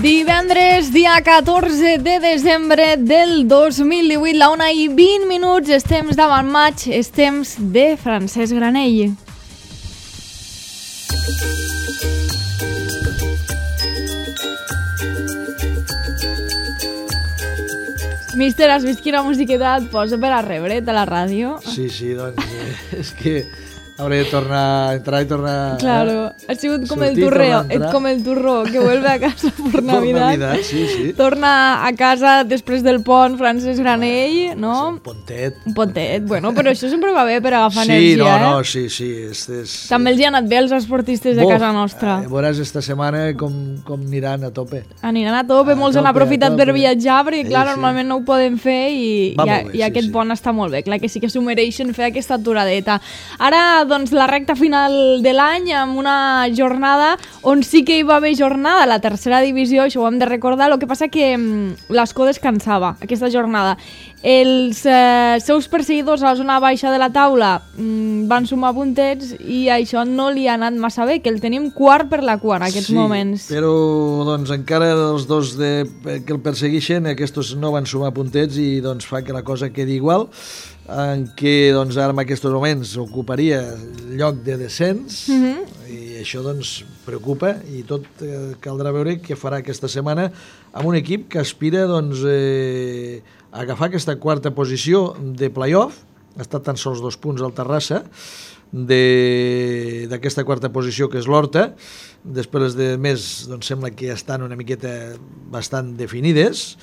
Divendres, dia 14 de desembre del 2018, la 1:20, és temps d'avant maig, és temps de Francesc Granell. Míster, has vist quina musiqueta et posa per a rebre't a la ràdio? Sí, doncs és que hauré de tornar, entrar i tornar... Claro, ha sigut com el turreo, com el turró que vuelve a casa por Navidad. Sí. Torna a casa després del pont, Francesc Granell, no? Un pontet. Un pontet, bueno, però això sempre va bé per agafar sí, energia, Sí. També els hi ha anat bé als esportistes de casa nostra. Veuràs esta setmana com aniran a tope. Aniran a tope, molts han aprofitat per viatjar, perquè clar, normalment no ho poden fer i aquest pont està molt bé. Clar que sí que s'ho mereixen fer aquesta aturadeta. Ara, doncs, la recta final de l'any amb una jornada on sí que hi va haver jornada, la tercera divisió, això ho hem de recordar, el que passa que l'Escó descansava aquesta jornada. Els seus perseguidors a la zona baixa de la taula van sumar puntets i això no li ha anat massa bé, que el tenim quart per la cua en aquests moments. Sí, però doncs, encara els dos que el persegueixen, aquests no van sumar puntets i doncs, fa que la cosa quedi igual, en què doncs, ara en aquests moments ocuparia el lloc de descens i això doncs, preocupa i tot caldrà veure què farà aquesta setmana amb un equip que aspira doncs, a agafar aquesta quarta posició de play-off. Ha estat tan sols 2 punts al Terrassa d'aquesta quarta posició que és l'Horta. Després de més doncs, sembla que ja estan una miqueta bastant definides.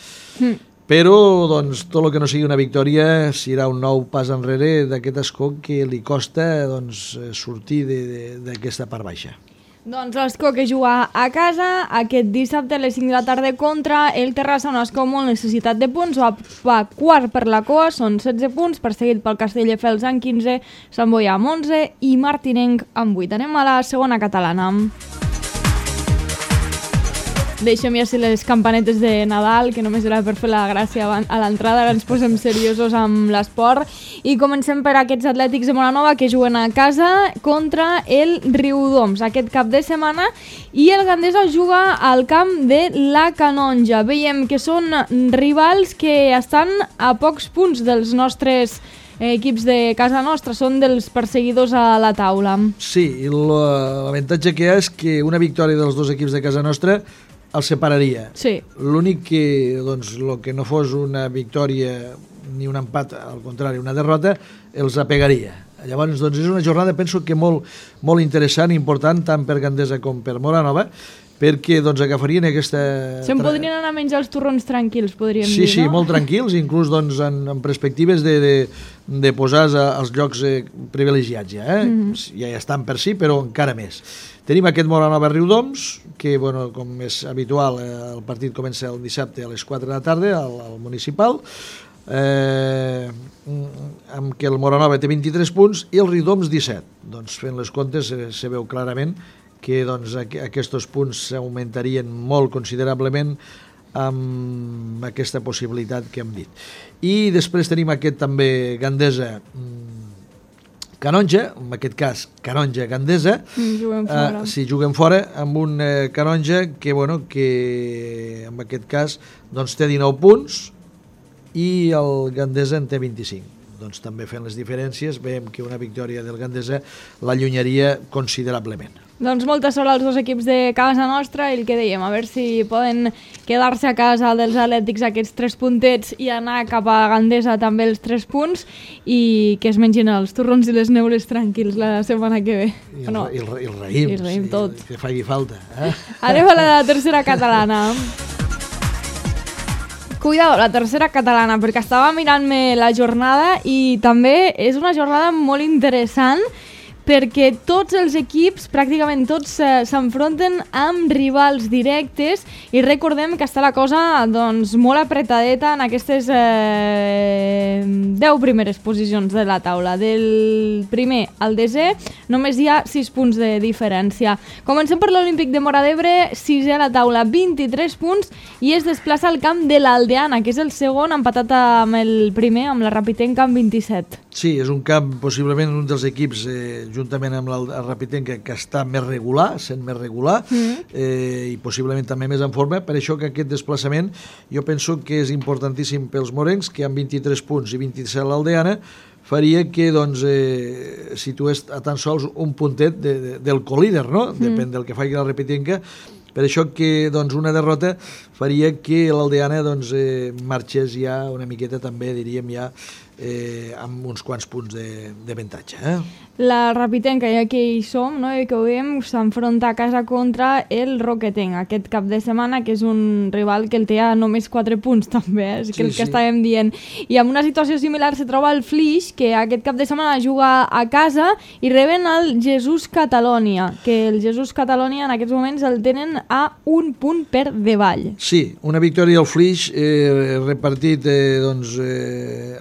Però doncs, tot el que no sigui una victòria serà un nou pas enrere d'aquest Escó que li costa doncs, sortir d'aquesta part baixa. Doncs l'Escó que juga a casa aquest dissabte a les 5 de la tarda contra el Terrassa, un Escó molt necessitat de punts, va quart per la cua, són 16 punts, perseguit pel Castelldefels amb 15, Sant Boi amb 11 i Martinenc amb 8. Anem a la segona catalana. Deixem ja les campanetes de Nadal, que només era per fer la gràcia a l'entrada, ara ens posem seriosos amb l'esport i comencem per aquests Atlètics de Móra-Nova que juguen a casa contra el Riudoms aquest cap de setmana i el Gandesa juga al camp de la Canonja. Veiem que són rivals que estan a pocs punts dels nostres equips de casa nostra, són dels perseguidors a la taula. Sí, i l'avantatge que hi ha és que una victòria dels dos equips de casa nostra el separaria. Sí. L'únic que, doncs, el que no fos una victòria ni un empat, al contrari, una derrota, els apegaria. Llavors, doncs, és una jornada, penso que molt interessant i important, tant per Gandesa com per Móra-Nova, perquè doncs, agafarien aquesta... Se'n podrien anar a menjar els torrons tranquils, podríem dir, no? Sí, molt tranquils, inclús doncs, en perspectives de posar als llocs privilegiats ja. Ja estan per si, però encara més. Tenim aquest Móra-Nova-Riudoms, que, bueno, com és habitual, el partit comença el dissabte a les 4 de la tarda al municipal, amb què el Móra-Nova té 23 punts i el Riudoms 17. Doncs fent les comptes se veu clarament que doncs, aquests punts s'augmentarien molt considerablement amb aquesta possibilitat que hem dit. I després tenim aquest també Gandesa Canonja, en aquest cas Canonja-Gandesa, juguen fora amb un Canonja que en aquest cas doncs, té 19 punts i el Gandesa en té 25. Doncs també fent les diferències veiem que una victòria del Gandesa l'allunyaria considerablement. Doncs molta sort als dos equips de casa nostra i el que dèiem, a veure si poden quedar-se a casa dels Atlètics aquests 3 puntets i anar cap a Gandesa també els 3 punts i que es mengin els torrons i les neules tranquils la setmana que ve. I el raïm, tot. Que faci falta. Anem a la tercera catalana. Cuidado, la tercera catalana, perquè estava mirant-me la jornada i també és una jornada molt interessant perquè tots els equips, pràcticament tots, s'enfronten amb rivals directes i recordem que està la cosa doncs, molt apretadeta en aquestes 10 primeres posicions de la taula. Del primer al desè només hi ha 6 punts de diferència. Comencem per l'Olímpic de Móra d'Ebre, 6è a la taula, 23 punts i es desplaça al camp de l'Aldeana, que és el segon, empatat amb el primer, amb la Rapitenca amb 27. Sí, és un camp, possiblement un dels equips, juntament amb el Rapitenca, que està més regular, sent més regular, i possiblement també més en forma. Per això que aquest desplaçament jo penso que és importantíssim pels morencs, que amb 23 punts i 27 l'Aldeana, faria que doncs, situés a tan sols un puntet del colíder, no? Depèn del que faci la Rapitenca. Per això que doncs, una derrota faria que l'Aldeana doncs, marxés ja una miqueta també, diríem ja, amb uns quants punts d'avantatge. La Rapitenca, ja que hi som, no? I que ho veiem, s'enfronta a casa contra el Roquetenc aquest cap de setmana, que és un rival que el té a només 4 punts també, és que el que estàvem dient. I amb una situació similar se troba el Flix, que aquest cap de setmana juga a casa i reben el Jesús Catalònia, que el Jesús Catalònia en aquests moments el tenen a un punt per davall. Sí, una victòria al Flix repartit doncs,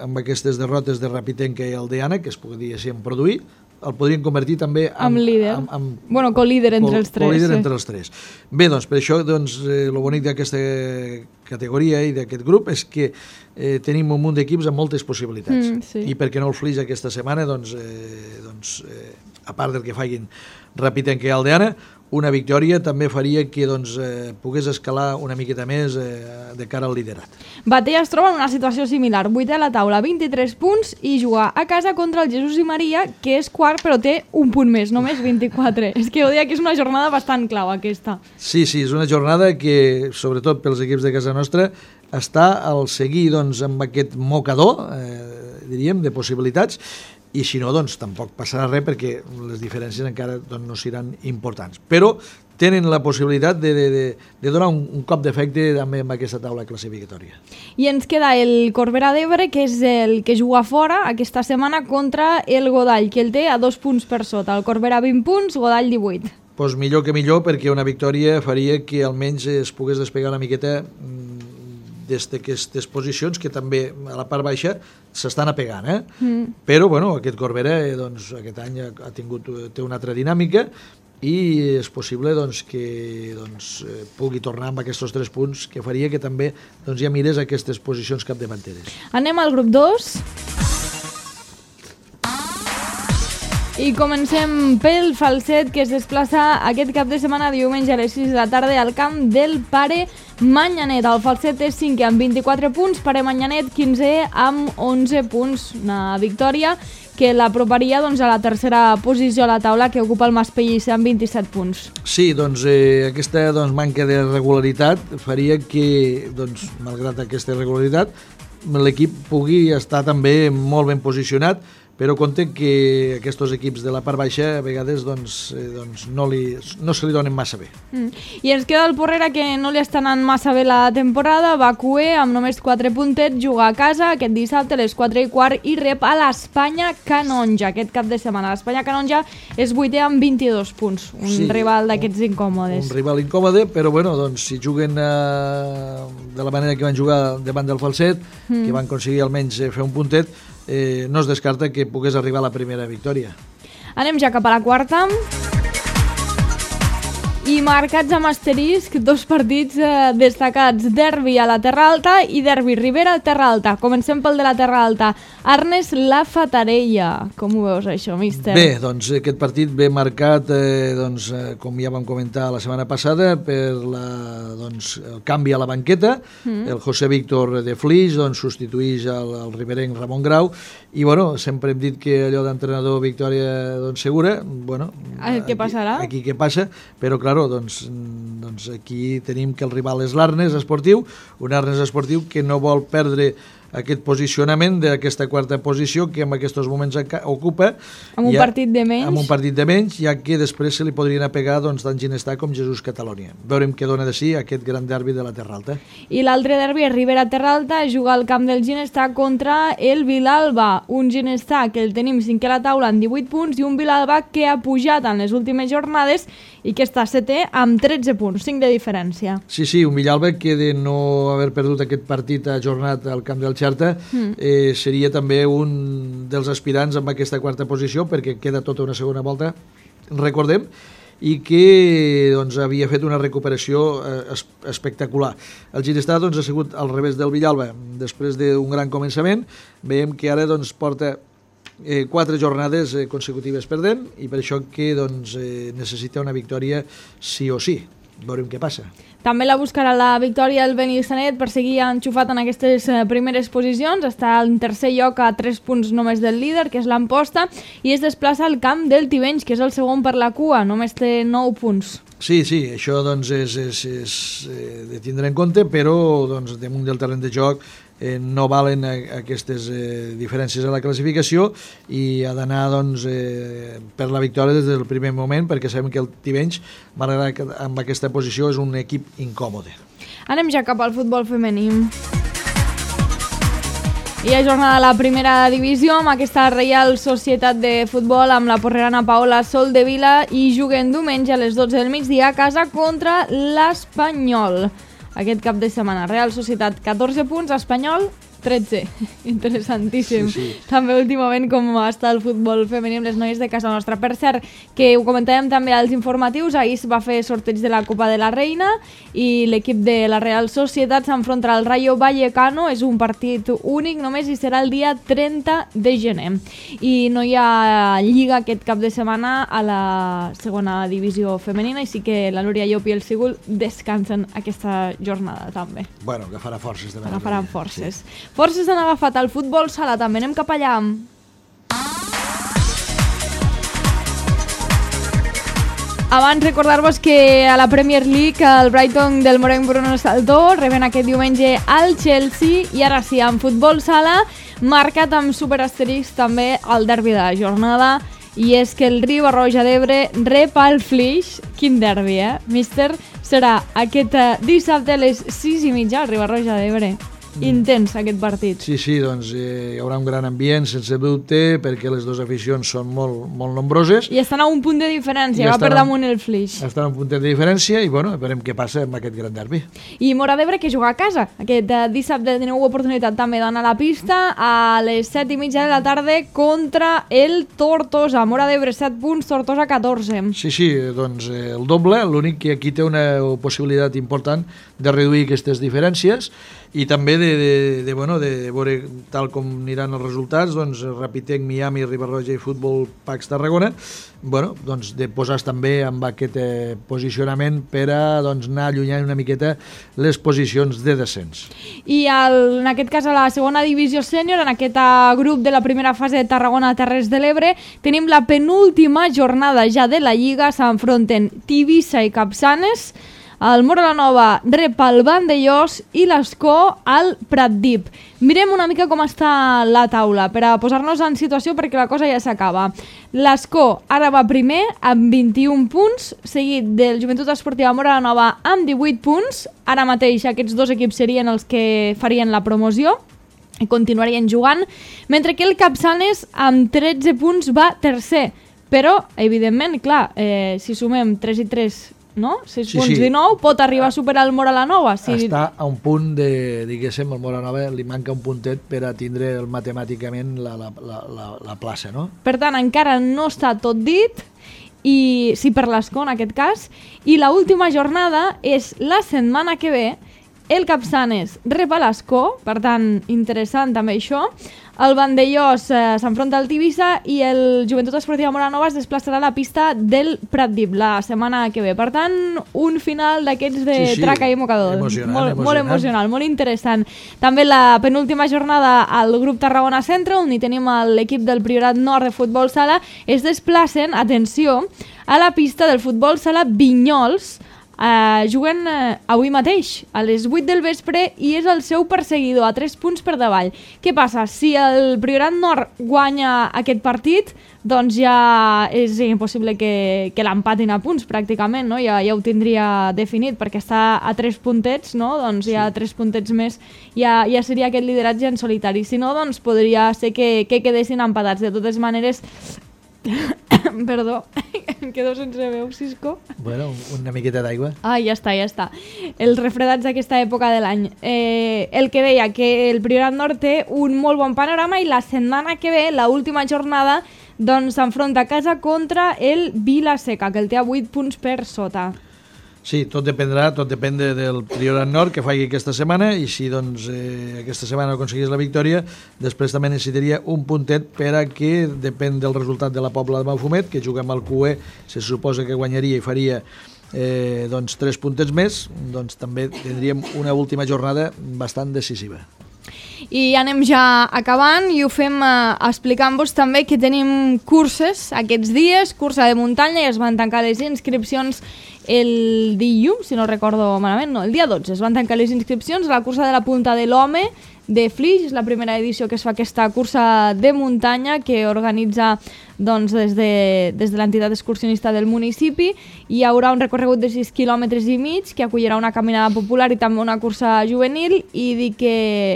amb aquestes derrotes de Rapitenca i Aldeana, que es podrien produir, el podrien convertir també amb líder. Bueno, co-líder entre els tres. Co-líder entre els tres. Bé, doncs, per això, doncs, el bonic d'aquesta categoria i d'aquest grup és que tenim un munt d'equips amb moltes possibilitats. Sí. I per què no el Flix aquesta setmana, doncs, a part del que facin Rapitenca i Aldeana, una victòria també faria que doncs, pogués escalar una miqueta més de cara al liderat. Batea es troba en una situació similar, 8è a la taula, 23 punts, i jugar a casa contra el Jesús i Maria, que és quart però té un punt més, només 24. És que ho deia que és una jornada bastant clau aquesta. Sí, és una jornada que, sobretot pels equips de casa nostra, està al seguir doncs, amb aquest mocador, diríem, de possibilitats, i si no, doncs tampoc passarà res perquè les diferències encara doncs, no seran importants. Però tenen la possibilitat de donar un cop d'efecte també amb aquesta taula classificatòria. I ens queda el Corbera d'Ebre, que és el que juga fora aquesta setmana contra el Godall, que el té a 2 punts per sota. El Corbera 20 punts, Godall 18. Doncs millor que millor, perquè una victòria faria que almenys es pogués despegar una miqueta des d'aquestes posicions que també a la part baixa s'estan apegant, Però, bueno, aquest Corbera doncs, aquest any té una altra dinàmica i és possible doncs, que doncs, pugui tornar amb aquests 3 punts que faria que també doncs, ja mires aquestes posicions capdavanteres. Anem al grup 2. I comencem pel Falset, que es desplaça aquest cap de setmana diumenge a les 6 de la tarda al camp del Pare Manyanet. El Falset és 5è amb 24 punts, Pare Manyanet 15è amb 11 punts. Una victòria que l'aproparia doncs, a la tercera posició a la taula, que ocupa el Maspellissa amb 27 punts. Sí, doncs aquesta manca de regularitat faria que, doncs, malgrat aquesta irregularitat, l'equip pugui estar també molt ben posicionat, però compte que aquests equips de la part baixa a vegades doncs, no se li donen massa bé. I ens queda el Porrera, que no li està anant massa bé la temporada, va cuer amb només 4 puntets, juga a casa aquest dissabte a les 4:15 i rep a l'Espanya Canonja aquest cap de setmana. L'Espanya Canonja és 8è amb 22 punts, un rival d'aquests incòmodes. Un rival incòmode, però bueno, doncs, si juguen de la manera que van jugar davant del Falset, que van aconseguir almenys fer un puntet, no es descarta que pogués arribar a la primera victòria. Anem ja cap a la quarta. I marcats amb asterisc, 2 partits destacats, derbi a la Terra Alta i derbi Ribera a Terra Alta. Comencem pel de la Terra Alta. Arnes La Fatarella. Com ho veus això, míster? Bé, doncs aquest partit ve marcat, com ja vam comentar la setmana passada, per el canvi a la banqueta. El José Víctor de Flix substituïx el riberenc Ramon Grau, i bueno, sempre hem dit que allò d'entrenador victòria segura, bueno, què passarà? Aquí què passa, però claro, doncs aquí tenim que el rival és l'Arnes Esportiu, un Arnes Esportiu que no vol perdre aquest posicionament d'aquesta quarta posició que en aquests moments ocupa amb un partit de menys. Amb un partit de menys, ja que després se li podrien apegar tant Ginestar com Jesús Catalònia. Veurem què dona de si aquest gran derbi de la Terra Alta. I l'altre derbi és Ribera Terra Alta, juga al camp del Ginestar contra el Vilalba, un Ginestar que el tenim 5è a la taula amb 18 punts i un Vilalba que ha pujat en les últimes jornades i que està 7è amb 13 punts, 5 de diferència. Sí, un Villalba que de no haver perdut aquest partit ajornat al camp del Xerta seria també un dels aspirants amb aquesta quarta posició, perquè queda tota una segona volta, recordem, i que havia fet una recuperació espectacular. El Ginestar ha sigut al revés del Villalba. Després d'un gran començament, veiem que ara porta 4 jornades consecutives perdent i per això que doncs, necessita una victòria sí o sí. Veurem què passa. També la buscarà la victòria el Benissanet per seguir enxufat en aquestes primeres posicions. Està en tercer lloc a 3 punts només del líder, que és l'Amposta, i es desplaça al camp del Tivenys, que és el segon per la cua, només té 9 punts. Sí, això doncs, és de tindre en compte, però doncs, damunt del terreny de joc no valen aquestes diferències a la classificació i ha d'anar doncs, per la victòria des del primer moment, perquè sabem que el Tivenys, malgrat que amb aquesta posició, és un equip incòmode. Anem ja cap al futbol femení. Hi ha jornada de la primera divisió amb aquesta Reial Societat de Futbol amb la porrerana Paola Soldevila i juguen diumenge a les 12 del migdia a casa contra l'Espanyol. Aquest cap de setmana, Real Societat 14 punts, Espanyol 13. Interessantíssim. Sí. També últimament com està el futbol femení amb les noies de casa nostra. Per cert, que ho comentàvem també als informatius, ahir es va fer sorteig de la Copa de la Reina i l'equip de la Real Societat s'enfronta al Rayo Vallecano. És un partit únic només i serà el dia 30 de gener. I no hi ha lliga aquest cap de setmana a la segona divisió femenina, i sí que la Núria Llop i el Sigul descansen aquesta jornada també. Bueno, agafarà forces. Agafaran forces. Sí. Forces han agafat el futbol sala, també anem cap allà. Abans recordar-vos que a la Premier League el Brighton del Morenc Bruno Saltó reben aquest diumenge al Chelsea i ara sí, en futbol sala marcat amb superasterisc també el derbi de la jornada, i és que el Riba-roja d'Ebre rep el Flix. Quin derbi, míster? Serà aquest dissabte a les 6:30 al Riba-roja d'Ebre. Intens aquest partit. Sí, doncs hi haurà un gran ambient, sense dubte, perquè les dues aficions són molt nombroses. I estan a un punt de diferència, va per damunt el Flix. Estan a un punt de diferència i, bueno, veurem què passa amb aquest gran derbi. I Móra d'Ebre, que juga a casa. Aquest dissabte teniu oportunitat també d'anar a la pista a les 7:30 de la tarda contra el Tortosa. Móra d'Ebre 7 punts, Tortosa 14. Sí, doncs el doble, l'únic que aquí té una possibilitat important de reduir aquestes diferències i també de veure tal com aniran els resultats, doncs Rapitec, Miami, Riba-roja i Futbol Pax Tarragona, doncs de posar també amb aquest posicionament per a anar allunyant una miqueta les posicions de descens. I en aquest cas a la segona divisió sènior, en aquest grup de la primera fase de Tarragona-Terres de l'Ebre, tenim la penúltima jornada ja de la Lliga, s'enfronten Tivissa i Capçanes. El Móra la Nova rep el Vandellós i l'Escó al Pratdip. Mirem una mica com està la taula per a posar-nos en situació, perquè la cosa ja s'acaba. L'Escó ara va primer amb 21 punts, seguit del Joventut Esportiva Móra la Nova amb 18 punts. Ara mateix aquests dos equips serien els que farien la promoció i continuarien jugant, mentre que el Capçanes amb 13 punts va tercer. Però, evidentment, clar, si sumem 3 i 3... no? 6 punts, 19, pot arribar a superar el Móra la Nova. Està a un punt de, diguéssim, el Móra la Nova li manca un puntet per a tindre matemàticament la plaça, no? Per tant, encara no està tot dit, i sí per l'Escó en aquest cas, i l'última jornada és la setmana que ve. El Capçanes rep a l'Escó, per tant, interessant també això. El Vandellós s'enfronta al Tivissa i el Joventut Esportiva Móra la Nova es desplaçarà a la pista del Pratdip la setmana que ve. Per tant, un final d'aquests de traca i mocador. Molt emocional, molt interessant. També la penúltima jornada al grup Tarragona Centre, on hi tenim l'equip del Priorat Nord de futbol sala, es desplacen, atenció, a la pista del futbol sala Vinyols. Juguen avui mateix a les 8 del vespre i és el seu perseguidor a 3 punts per davall. Què passa? Si el Priorat Nord guanya aquest partit, doncs ja és impossible que l'empatin a punts pràcticament, no? Ja ho tindria definit, perquè està a 3 puntets, no? Doncs ja 3 puntets més ja seria aquest lideratge en solitari. Si no, doncs podria ser que quedessin empatats. De totes maneres, perdó, em quedo sense veu, Cisco. Bueno, una miqueta d'aigua. Ja està. Els refredats d'aquesta època de l'any. El que deia, que el Priorat Nord té un molt bon panorama i la setmana que ve, l'última jornada, doncs s'enfronta a casa contra el Vila-seca, que el té a 8 punts per sota. Sí, tot depèn del Priorat Nord que faci aquesta setmana i si doncs, aquesta setmana aconseguís la victòria, després també necessitaria un puntet per a que depèn del resultat de la Pobla de Mafumet, que juga amb el QE, se suposa que guanyaria i faria doncs 3 puntets més, doncs també tindríem una última jornada bastant decisiva. I anem ja acabant i ho fem explicant-vos també que tenim curses aquests dies, cursa de muntanya, i es van tancar les inscripcions el dilluns, si no recordo malament, no, el dia 12 es van tancar les inscripcions a la cursa de la Punta de l'Home de Flix. És la primera edició que es fa aquesta cursa de muntanya que organitza doncs, des de l'entitat excursionista del municipi. Hi haurà un recorregut de 6 quilòmetres i mig que acollirà una caminada popular i també una cursa juvenil, i dir que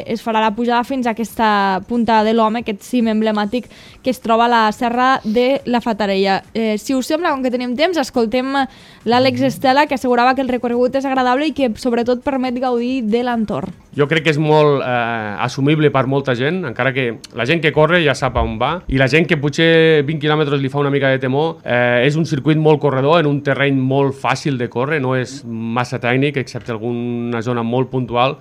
es farà la pujada fins a aquesta Punta de l'Home, aquest cim emblemàtic que es troba a la Serra de la Fatarella. Si us sembla, com que tenim temps, escoltem l'Àlex Estela, que assegurava que el recorregut és agradable i que sobretot permet gaudir de l'entorn. Jo crec que és molt assumible per molta gent, encara que la gent que corre ja sap on va, i la gent que potser 20 quilòmetres li fa una mica de temor, és un circuit molt corredor, en un terreny molt fàcil de córrer, no és massa tècnic, excepte alguna zona molt puntual,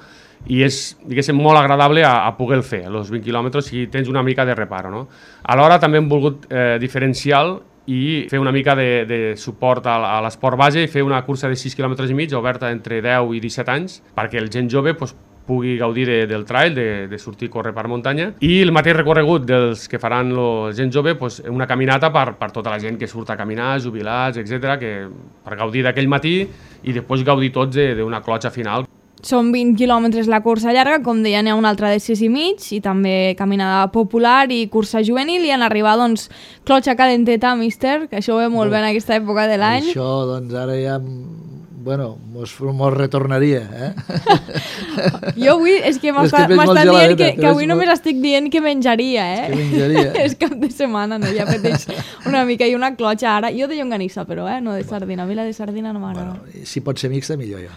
i és, diguéssim, molt agradable a poder fer, els 20 quilòmetres, si tens una mica de reparo, no? Alhora també hem volgut diferenciar i fer una mica de suport a l'esport base i fer una cursa de 6 km i mig oberta entre 10 i 17 anys perquè el gent jove pugui gaudir del trail, de sortir a córrer per muntanya, i el mateix recorregut dels que faran la gent jove, una caminata per tota la gent que surt a caminar, jubilats, etc, per gaudir d'aquell matí i després gaudir tots d'una clotxa final. Són 20 quilòmetres la cursa llarga, com deia, n'hi ha una altra de 6 i mig, i també caminada popular i cursa juvenil, i en arribar, doncs, clotxa calenteta, míster, que això ho ve molt bé en aquesta època de l'any. Això, doncs, ara ja... Bueno, mos retornaria, Jo avui, és que m'està dient que avui només estic dient que menjaria, És que menjaria. És cap de setmana, no? Ja pateix una mica, i una clotxa ara. Jo de llonganissa, però, no de sardina. A mi la de sardina no m'agrada. Bueno, si pot ser mixta, millor jo.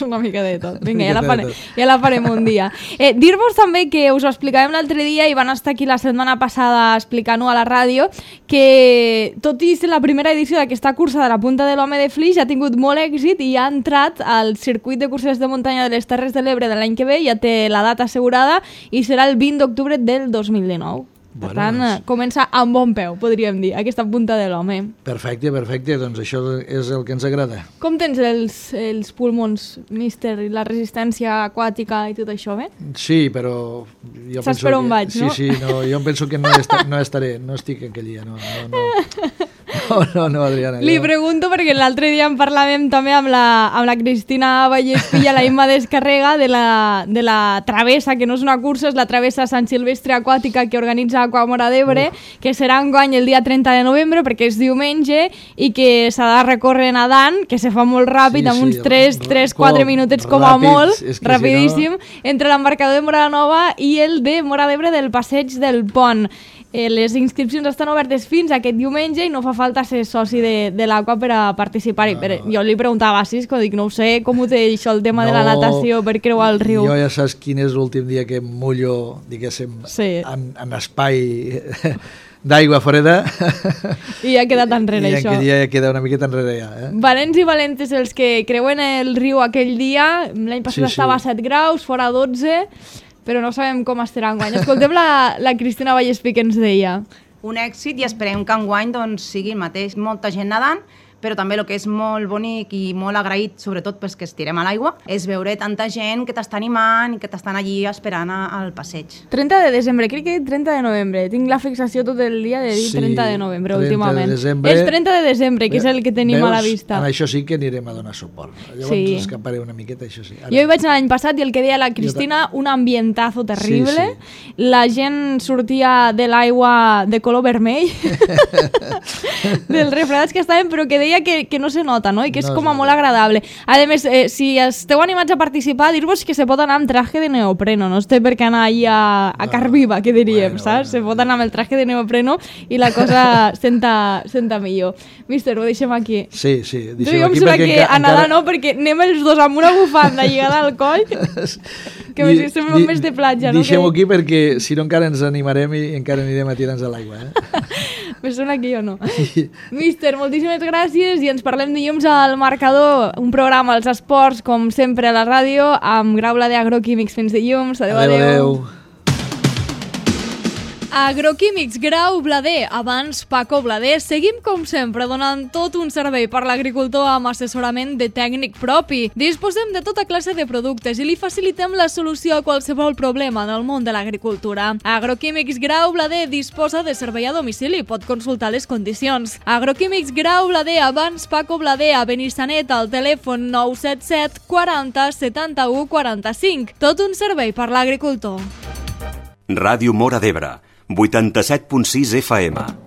Una mica de tot. Vinga, ja la farem un dia. Dir-vos també que us ho explicàvem l'altre dia i van estar aquí la setmana passada explicant-ho a la ràdio, que tot i ser la primera edició d'aquesta cursa de la Punta de l'Home de Flix ha tingut molt èxit i ha entrat al circuit de curses de muntanya de les Terres de l'Ebre de l'any que ve, ja té la data assegurada i serà el 20 d'octubre del 2019. Per tant, comença amb bon peu, podríem dir, aquesta Punta de l'Home. Perfecte, doncs això és el que ens agrada. Com tens els pulmons, míster, i la resistència aquàtica i tot això, bé? Sí, però... Saps per on vaig, no? Sí, no, jo penso que no estaré, no estic aquell dia, no. No, Adriana. Li pregunto perquè l'altre dia en parlàvem també amb la Cristina Vallespilla, la Imma Descarrega, de la travessa, que no és una cursa, és la travessa Sant Silvestre Aquàtica que organitza Aquamora d'Ebre, que serà enguany el dia 30 de novembre perquè és diumenge i que s'ha de recórrer nedant, que se fa molt ràpid, amb uns 3-4 minutets com a molt, rapidíssim, entre l'embarcador de Mora Nova i el de Mora d'Ebre del Passeig del Pont. Les inscripcions estan obertes fins aquest diumenge i no fa falta ser soci de l'Aqua per a participar-hi. Jo li preguntava a Cisco, dic, no ho sé, com ho té això, el tema de la natació per creuar el riu. Jo ja saps quin és l'últim dia que em mullo, diguéssim, en espai d'aigua freda. I ha quedat enrere, això. I ja queda una miqueta enrere, ja. Valents i valentes els que creuen el riu aquell dia. L'any passat estava a 7 graus, fora 12... però no sabem com estarà enguany. Escoltem la Cristina Vallespí que ens deia. Un èxit i esperem que enguany doncs, sigui el mateix. Molta gent nedant, però també el que és molt bonic i molt agraït, sobretot pels que estirem a l'aigua, és veure tanta gent que t'està animant i que t'estan allí esperant al passeig. 30 de desembre, crec que 30 de novembre. Tinc la fixació tot el dia de dir 30 de novembre, últimament. És 30 de desembre, que és el que tenim a la vista. En això sí que anirem a donar suport. Llavors escaparé una miqueta, això sí. Jo hi vaig anar l'any passat i el que deia la Cristina, un ambientazo terrible. La gent sortia de l'aigua de color vermell, dels refredats que estaven, però que deia que no se nota, no? I que és com a molt agradable. A més, si esteu animats a participar, dir-vos que se pot anar amb traje de neopreno, no es té per què anar allà a car viva, que diríem, saps? Se pot anar amb el traje de neopreno i la cosa senta millor. Míster, ho deixem aquí. Sí, deixem aquí perquè a nedar no, perquè anem els dos amb una bufanda lligada al coll, que sembla un mes de platja, no? Deixem-ho aquí perquè si no encara ens animarem i encara anirem a tirar-nos a l'aigua, Me sona que jo no. Míster, moltíssimes gràcies i ens parlem dilluns al Marcador, un programa als esports, com sempre a la ràdio, amb Grau Blader Agroquímics. Fins dilluns. Adéu. Agroquímics Grau Blader, abans Paco Blader. Seguim com sempre donant tot un servei per l'agricultor amb assessorament de tècnic propi. Disposem de tota classe de productes i li facilitem la solució a qualsevol problema del món de l'agricultura. Agroquímics Grau Blader disposa de servei a domicili, pot consultar les condicions. Agroquímics Grau Blader, abans Paco Blader, a Benissanet, al telèfon 977 40 71 45. Tot un servei per l'agricultor. Ràdio Móra d'Ebre, 87.6 FM.